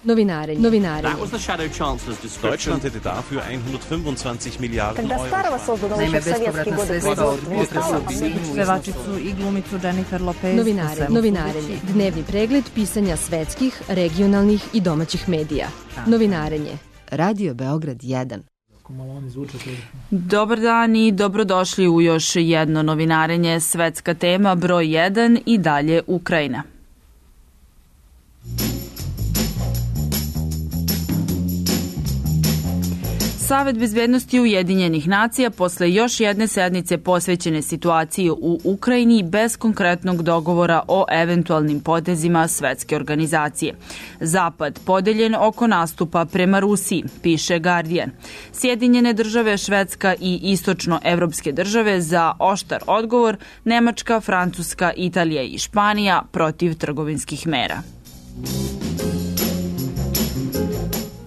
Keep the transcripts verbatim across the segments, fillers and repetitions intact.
Novinarenje. Novinarenje. Deutschland hätte dafür hundertfünfundzwanzig Miliarden Euro. Naime, bespovratna sredstva od potresa u Sinju, pevačicu i glumicu Jennifer Lopez. Novinarenje. Novinarenje. Dnevni pregled pisanja svetskih, regionalnih i domaćih medija. Novinarenje. Radio Beograd jedan. Dobar dan i dobrodošli u još jedno novinarenje. Svetska tema broj jedan i dalje Ukrajina. Savet bezbednosti Ujedinjenih nacija posle još jedne sednice posvećene situaciji u Ukrajini bez konkretnog dogovora o eventualnim potezima svetske organizacije. Zapad podeljen oko nastupa prema Rusiji, piše Guardian. Sjedinjene države, Švedska i istočnoevropske države za oštar odgovor, Nemačka, Francuska, Italija i Španija protiv trgovinskih mera.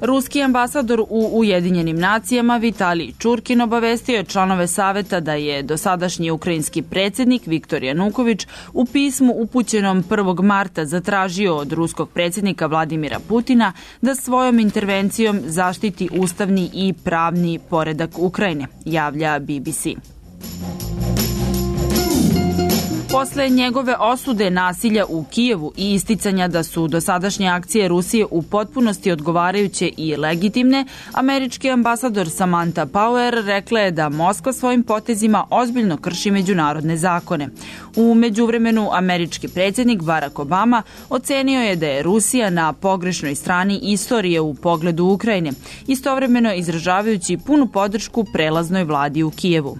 Ruski ambasador u Ujedinjenim nacijama Vitalij Čurkin obavestio je članove saveta da je dosadašnji ukrajinski predsjednik Viktor Januković u pismu upućenom prvog marta zatražio od ruskog predsjednika Vladimira Putina da svojom intervencijom zaštiti ustavni i pravni poredak Ukrajine, javlja B B C. Posle njegove osude nasilja u Kijevu i isticanja da su dosadašnje akcije Rusije u potpunosti odgovarajuće i legitimne, američki ambasador Samantha Power rekla je da Moskva svojim potezima ozbiljno krši međunarodne zakone. U međuvremenu američki predsjednik Barack Obama ocenio je da je Rusija na pogrešnoj strani istorije u pogledu Ukrajine, istovremeno izražavajući punu podršku prelaznoj vladi u Kijevu.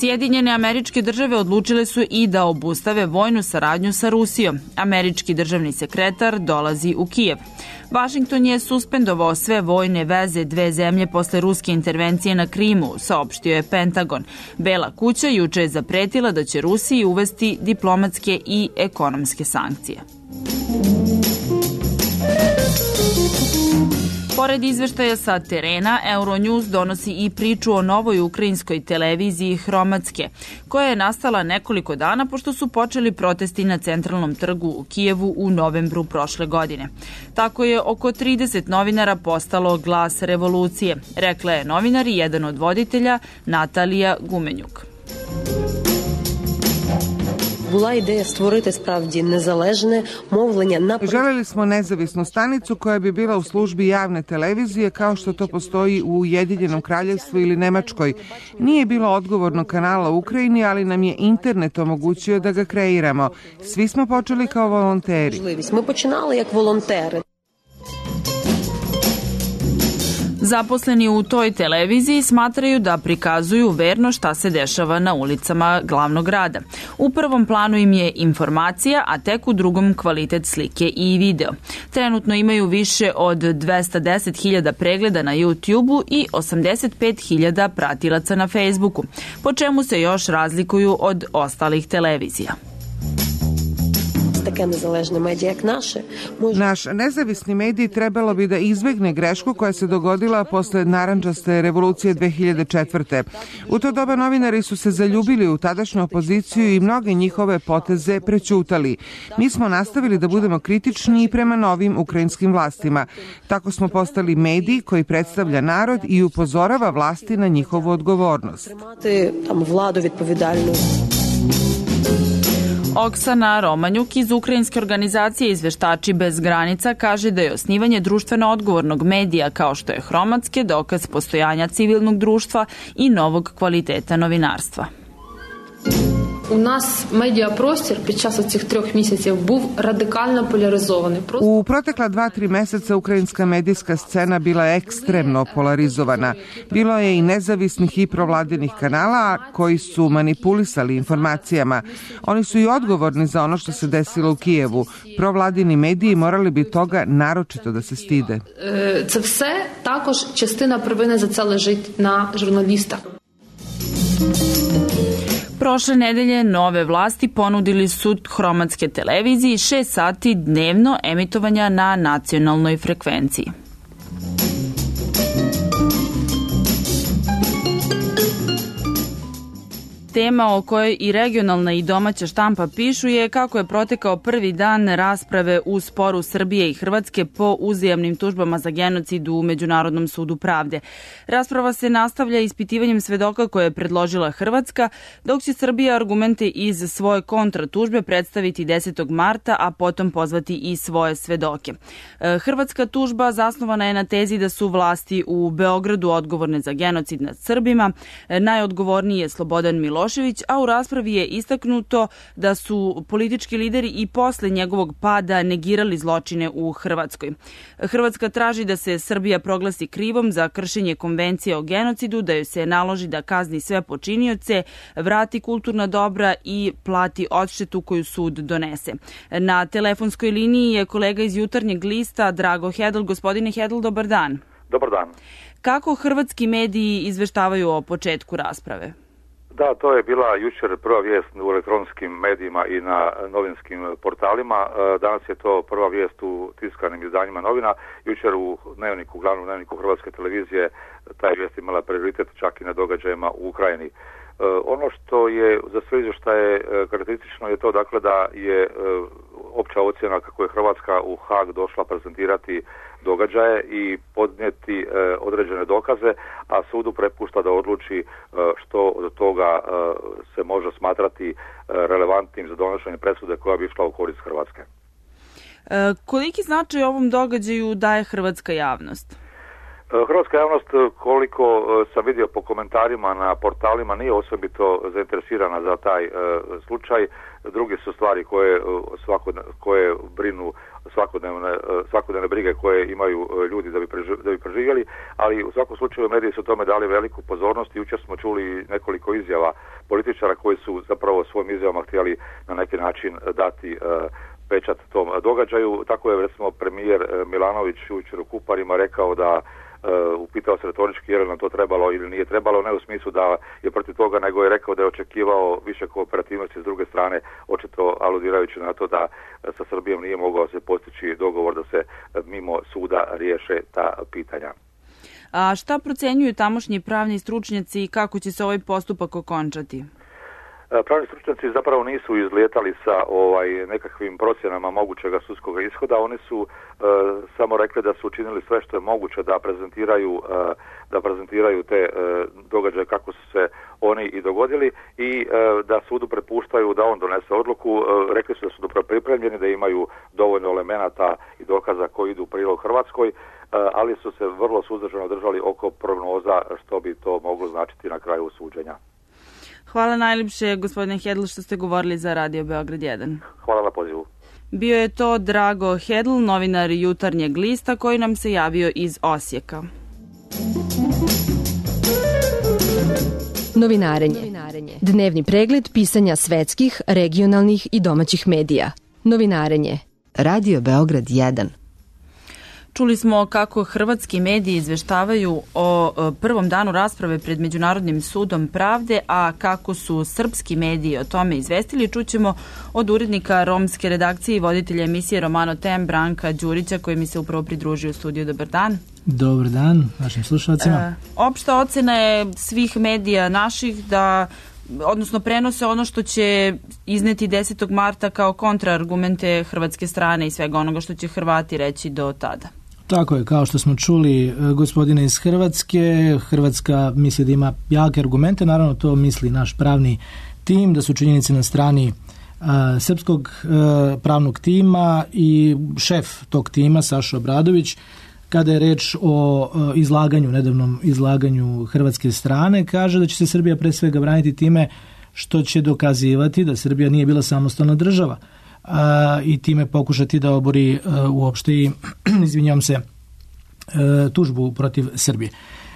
Sjedinjene američke države odlučile su i da obustave vojnu saradnju sa Rusijom. Američki državni sekretar dolazi u Kijev. Vašington je suspendovao sve vojne veze dve zemlje posle ruske intervencije na Krimu, saopštio je Pentagon. Bela kuća juče je zapretila da će Rusiji uvesti diplomatske i ekonomske sankcije. Pored izveštaja sa terena, Euronews donosi i priču o novoj ukrajinskoj televiziji Hromadske, koja je nastala nekoliko dana pošto su počeli protesti na centralnom trgu u Kijevu u novembru prošle godine. Tako je oko trideset novinara postalo glas revolucije, rekla je novinar i jedan od voditelja Natalija Gumenjuk. Була ідея створити справді незалежне мовлення на... Želeli smo nezavisnu stanicu koja bi bila u službi javne televizije kao što to postoji u Ujedinjenom kraljevstvu ili Nemačkoj. Nije bilo odgovornog kanala u Ukrajini, ali nam je internet omogućio da ga kreiramo. Svi smo počeli kao volonteri. Ми починали як волонтери. Zaposleni u toj televiziji smatraju da prikazuju verno šta se dešava na ulicama glavnog grada. U prvom planu im je informacija, a tek u drugom kvalitet slike i video. Trenutno imaju više od dvesta deset hiljada pregleda na YouTubeu i osamdeset pet hiljada pratilaca na Facebooku, po čemu se još razlikuju od ostalih televizija. Naš nezavisni medij trebalo bi da izbegne grešku koja se dogodila posle narandžaste revolucije dve hiljade četvrte. U to doba novinari su se zaljubili u tadašnju opoziciju i mnoge njihove poteze prećutali. Mi smo nastavili da budemo kritični i prema novim ukrajinskim vlastima. Tako smo postali medij koji predstavlja narod i upozorava vlasti na njihovu odgovornost. Oksana Romanjuk iz ukrajinske organizacije Izveštači bez granica kaže da je osnivanje društveno odgovornog medija kao što je Hromadske dokaz postojanja civilnog društva i novog kvaliteta novinarstva. У нас медіапростір під час цих трьох місяців був радикально поляризований. U protekla dva, tri meseca ukrajinska medijska scena bila je ekstremno polarizovana. Bilo je i nezavisnih i provladinih kanala koji su manipulisali informacijama. Oni su i odgovorni za ono što se desilo u Kijevu. Provladini mediji morali bi toga naročito da se stide. Це все також частина провини за це лежить на журналістах. Prošle nedelje nove vlasti ponudili su Hromadske televiziji šest sati dnevno emitovanja na nacionalnoj frekvenciji. tema o kojoj i regionalna i domaća štampa pišu je kako je protekao prvi dan rasprave u sporu Srbije i Hrvatske po uzajamnim tužbama za genocid u Međunarodnom sudu pravde. Rasprava se nastavlja ispitivanjem svedoka koje je predložila Hrvatska, dok će Srbija argumente iz svoje kontratužbe predstaviti desetog marta, a potom pozvati i svoje svedoke. Hrvatska tužba zasnovana je na tezi da su vlasti u Beogradu odgovorne za genocid nad Srbima. Najodgovorniji je Slobodan Milošević, a u raspravi je istaknuto da su politički lideri i posle njegovog pada negirali zločine u Hrvatskoj. Hrvatska traži da se Srbija proglasi krivom za kršenje konvencije o genocidu, da joj se naloži da kazni sve počinioce, vrati kulturna dobra i plati odštetu koju sud donese. Na telefonskoj liniji je kolega iz Jutarnjeg lista Drago Hedl. Gospodine Hedl, dobar dan. Dobar dan. Kako hrvatski mediji izveštavaju o početku rasprave? Da, to je bila jučer prva vijest u elektronskim medijima i na novinskim portalima. Danas je to prva vijest u tiskanim izdanjima novina. Jučer u dnevniku, glavnom dnevniku Hrvatske televizije, taj vijest imala prioritet čak i na događajima u Ukrajini. Ono što je za sve izvještaje karakteristično je to dakle da je opća ocjena kako je Hrvatska u Hag došla prezentirati događaje i podnijeti e, određene dokaze, a sudu prepušta da odluči e, što od toga e, se može smatrati e, relevantnim za donošenje presude koja bi išla u korist Hrvatske. E, koliki značaj ovom događaju daje hrvatska javnost? Hrvatska javnost, koliko sam vidio po komentarima na portalima, nije osobito zainteresirana za taj e, slučaj. Druge su stvari koje, svakod, koje brinu svakodnevne, svakodnevne brige koje imaju ljudi da bi, preživ, da bi preživjeli, ali u svakom slučaju mediji su tome dali veliku pozornost i jučer smo čuli nekoliko izjava političara koji su zapravo svojim izjavama htjeli na neki način dati e, pečat tom događaju. Tako je recimo premijer Milanović jučer u Kuparima rekao da Uh, upitao se retorički je li nam to trebalo ili nije trebalo, ne u smislu da je protiv toga, nego je rekao da je očekivao više kooperativnosti s druge strane, očito aludirajući na to da sa Srbijom nije mogao se postići dogovor da se mimo suda riješe ta pitanja. A šta procenjuju tamošnji pravni stručnjaci i kako će se ovaj postupak okončati? Pravni stručnjaci zapravo nisu izlijetali sa ovaj nekakvim procjenama mogućega sudskog ishoda, oni su e, samo rekli da su učinili sve što je moguće da prezentiraju e, da prezentiraju te e, događaje kako su se oni i dogodili i e, da sudu prepuštaju da on donese odluku. E, rekli su da su dobro pripremljeni, da imaju dovoljno elemenata i dokaza koji idu u prilog Hrvatskoj, e, ali su se vrlo suzdržano držali oko prognoza što bi to moglo značiti na kraju suđenja. Hvala najljepše, gospodine Hedl, što ste govorili za Radio Beograd jedan. Hvala na pozivu. Bio je to Drago Hedl, novinar Jutarnjeg lista, koji nam se javio iz Osijeka. Novinarenje. Dnevni pregled pisanja svetskih, regionalnih i domaćih medija. Novinarenje. Radio Beograd jedan. Čuli smo kako hrvatski mediji izveštavaju o prvom danu rasprave pred Međunarodnim sudom pravde, a kako su srpski mediji o tome izvestili, čućemo od urednika romske redakcije i voditelja emisije Romano Tem, Branka Đurića, koji mi se upravo pridružio u studiju. Dobar dan. Dobar dan vašim slušalcima. E, opšta ocena je svih medija naših da odnosno prenose ono što će izneti desetog marta kao kontraargumente hrvatske strane i svega onoga što će Hrvati reći do tada. Tako je, kao što smo čuli gospodine iz Hrvatske, Hrvatska misli da ima jake argumente, naravno to misli naš pravni tim, da su činjenice na strani a, srpskog a, pravnog tima i šef tog tima, Saša Obradović, kada je reč o a, izlaganju, nedavnom izlaganju hrvatske strane, kaže da će se Srbija pre svega braniti time što će dokazivati da Srbija nije bila samostalna država, a, i time pokušati da obori a, uopšte i, izvinjam se, a, tužbu protiv Srbije.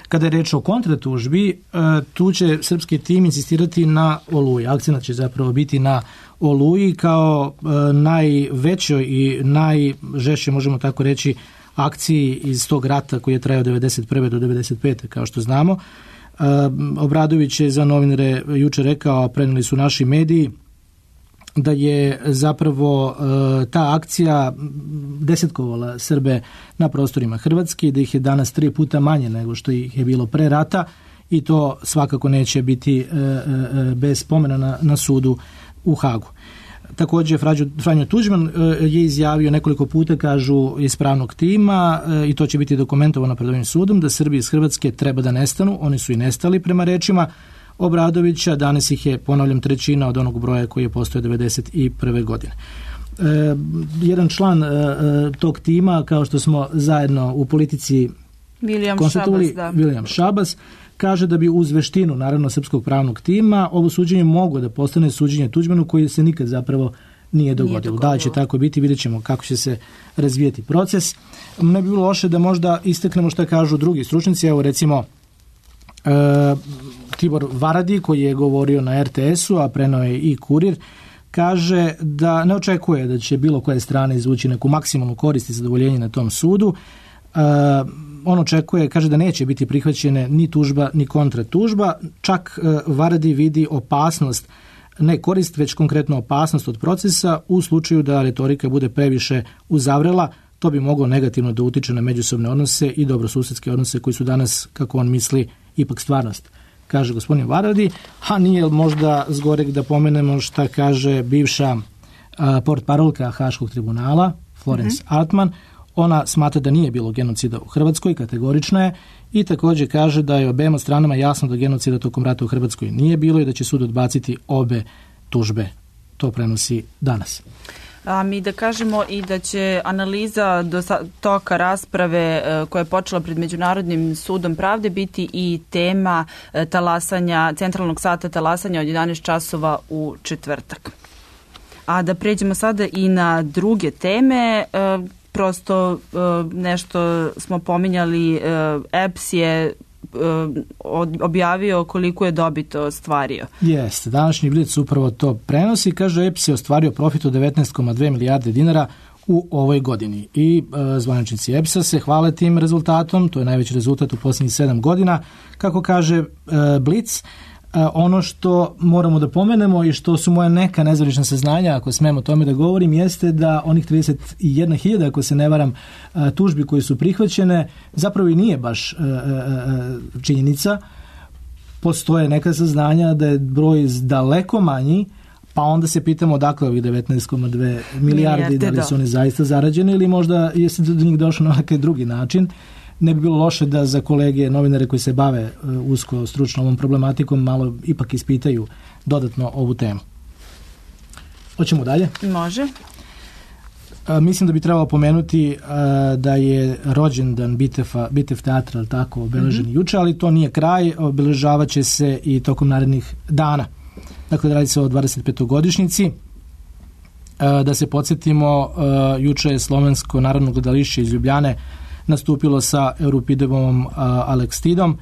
Kada je reč o kontratužbi, a, tu će srpski tim insistirati na Oluji. Akcenat će zapravo biti na Oluji kao a, najvećoj i najžešće, možemo tako reći, akciji iz tog rata koji je trajao devedeset prve do devedeset pete kao što znamo. A, Obradović je za novinare jučer rekao, preneli su naši mediji, da je zapravo e, ta akcija desetkovala Srbe na prostorima Hrvatske, da ih je danas tri puta manje nego što ih je bilo pre rata i to svakako neće biti e, e, bez spomena na, na sudu u Hagu. Također Franjo Tuđman je izjavio nekoliko puta, kažu iz pravnog tima, i to će biti dokumentovano pred ovim sudom, da Srbi iz Hrvatske treba da nestanu. Oni su i nestali prema rečima Obradovića. Danas ih je, ponavljam, trećina od onog broja koji je postojao devedeset prve godine. E, jedan član e, tog tima, kao što smo zajedno u Politici William konstatovali, Šabas, da. William Šabas, kaže da bi uz veštinu, naravno, srpskog pravnog tima, ovo suđenje moglo da postane suđenje Tuđmanu koji se nikad zapravo nije dogodilo. Nije dogodilo. Da će tako biti, vidjet ćemo kako će se razvijeti proces. Ne bi bilo loše da možda isteknemo šta kažu drugi stručnici. Evo recimo e, Tibor Varadi, koji je govorio na er te esu, a preneo je i Kurir, kaže da ne očekuje da će bilo koje strane izvući neku maksimalnu korist i zadovoljenje na tom sudu. E, on očekuje, kaže da neće biti prihvaćene ni tužba ni kontratužba, čak e, Varadi vidi opasnost, ne korist, već konkretno opasnost od procesa u slučaju da retorika bude previše uzavrela. To bi moglo negativno da utiče na međusobne odnose i dobrosusedske odnose koji su danas, kako on misli, ipak stvarnost, kaže gospodin Varadi. A nije možda zgorek da pomenemo šta kaže bivša a, portparolka Haškog tribunala, Florence mm-hmm. Artman. Ona smatra da nije bilo genocida u Hrvatskoj, kategorična je, i također kaže da je obema stranama jasno da genocida tokom rata u Hrvatskoj nije bilo i da će sud odbaciti obe tužbe. To prenosi Danas. A mi da kažemo i da će analiza do toka rasprave koja je počela pred Međunarodnim sudom pravde biti i tema talasanja, centralnog sata talasanja od jedanaest časova u četvrtak. A da pređemo sada i na druge teme. Prosto nešto smo pominjali, E P S je objavio koliko je dobit ostvario. Jeste, današnji Blic upravo to prenosi. Kaže, E P S je ostvario profit od devetnaest zarez dve milijarde dinara u ovoj godini. I e, zvaničnici E P S-a se hvale tim rezultatom. To je najveći rezultat u posljednjih sedam godina. Kako kaže e, Blic, ono što moramo da pomenemo i što su moje neka nezvanična saznanja, ako smemo o tome da govorim, jeste da onih trideset jedna hiljada, ako se ne varam, tužbi koje su prihvaćene, zapravo i nije baš činjenica. Postoje neka saznanja da je broj daleko manji, pa onda se pitamo odakle ovih devetnaest zarez dve milijarde, da li su oni zaista zarađeni ili možda jeste do njih došlo na neki drugi način. Ne bi bilo loše da za kolege novinare koji se bave usko stručno ovom problematikom malo ipak ispitaju dodatno ovu temu. Hoćemo dalje? Može. A, mislim da bi trebalo pomenuti a, da je rođendan Bitefa, Bitev teatra, ali tako, obeležen mm-hmm. juče, ali to nije kraj, obeležavat će se i tokom narednih dana. Dakle, radi se o dvadesetpetogodišnjici. A, da se podsjetimo, a, juče je Slovensko narodno gledalište iz Ljubljane nastupilo sa Euripidevom Alekstidom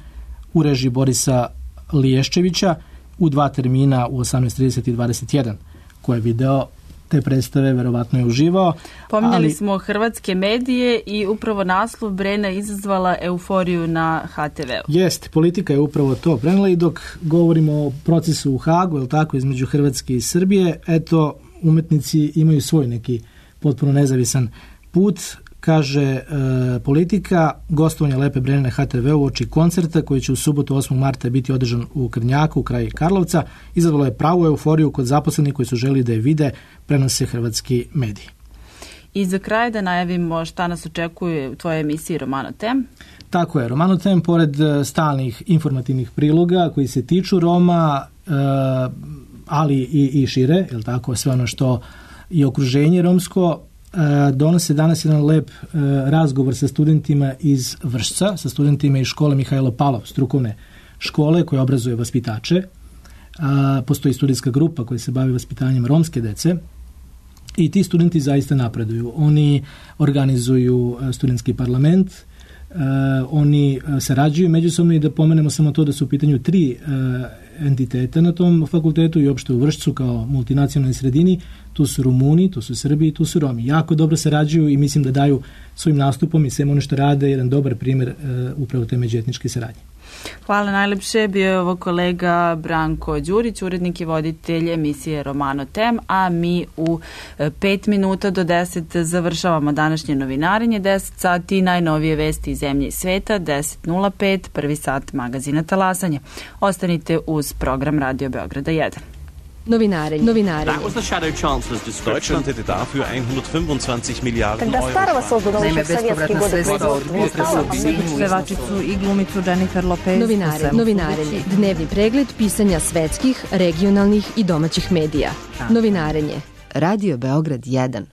u režiji Borisa Liješčevića u dva termina u osamnaest trideset i dvadeset jedan. Ko je video te predstave, verovatno je uživao. Pominjali ali... smo hrvatske medije i upravo naslov Brena izazvala euforiju na ha te veu. Jeste, Politika je upravo to prenela i dok govorimo o procesu u Hagu, je tako, između Hrvatske i Srbije, eto, umetnici imaju svoj neki potpuno nezavisan put. Kaže e, Politika, gostovanje Lepe Brene na ha te veu uoči koncerta koji će u subotu osmog marta biti održan u Krnjaku, kraj Karlovca, izazvalo je pravu euforiju kod zaposlenih koji su želi da je vide, prenose hrvatski mediji. I za kraj da najavimo šta nas očekuje u tvojoj emisiji Romano Tem. Tako je, Romano Tem, pored stalnih informativnih priloga koji se tiču Roma, e, ali i, i šire, je li tako, sve ono što je okruženje romsko, donose danas jedan lep uh, razgovor sa studentima iz Vršca, sa studentima iz škole Mihajlo Palov, strukovne škole koje obrazuje vaspitače. Uh, postoji studijska grupa koja se bavi vaspitanjem romske dece i ti studenti zaista napreduju. Oni organizuju uh, studentski parlament, uh, oni uh, sarađuju međusobno i da pomenemo samo to da su u pitanju tri uh, entiteta na tom fakultetu i uopšte u Vršcu kao multinacionalnoj sredini. Tu su Rumuni, tu su Srbi i tu su Romi. Jako dobro sarađuju i mislim da daju svojim nastupom i svem ono što rade jedan dobar primjer uh, upravo te međuetničke saradnje. Hvala najlepše. Bio je ovo kolega Branko Đurić, urednik i voditelj emisije Romano Tem, a mi u pet minuta do deset završavamo današnje novinarenje. deset sati najnovije vesti iz zemlje i sveta, deset nula pet, prvi sat magazina Talasanje. Ostanite uz program Radio Beograda jedan. Novinarenje. Novinarenje. That was the shadow chancellor's description. Deutschland hätte dafür hundertfünfundzwanzig Milliarden Когда старого создано еще в советские годы производства, pevačicu i glumicu Jennifer Lopez. Novinarenje. Novinarenje. Dnevni pregled pisanja svetskih, regionalnih i domaćih medija. Novinarenje. Radio Beograd jedan.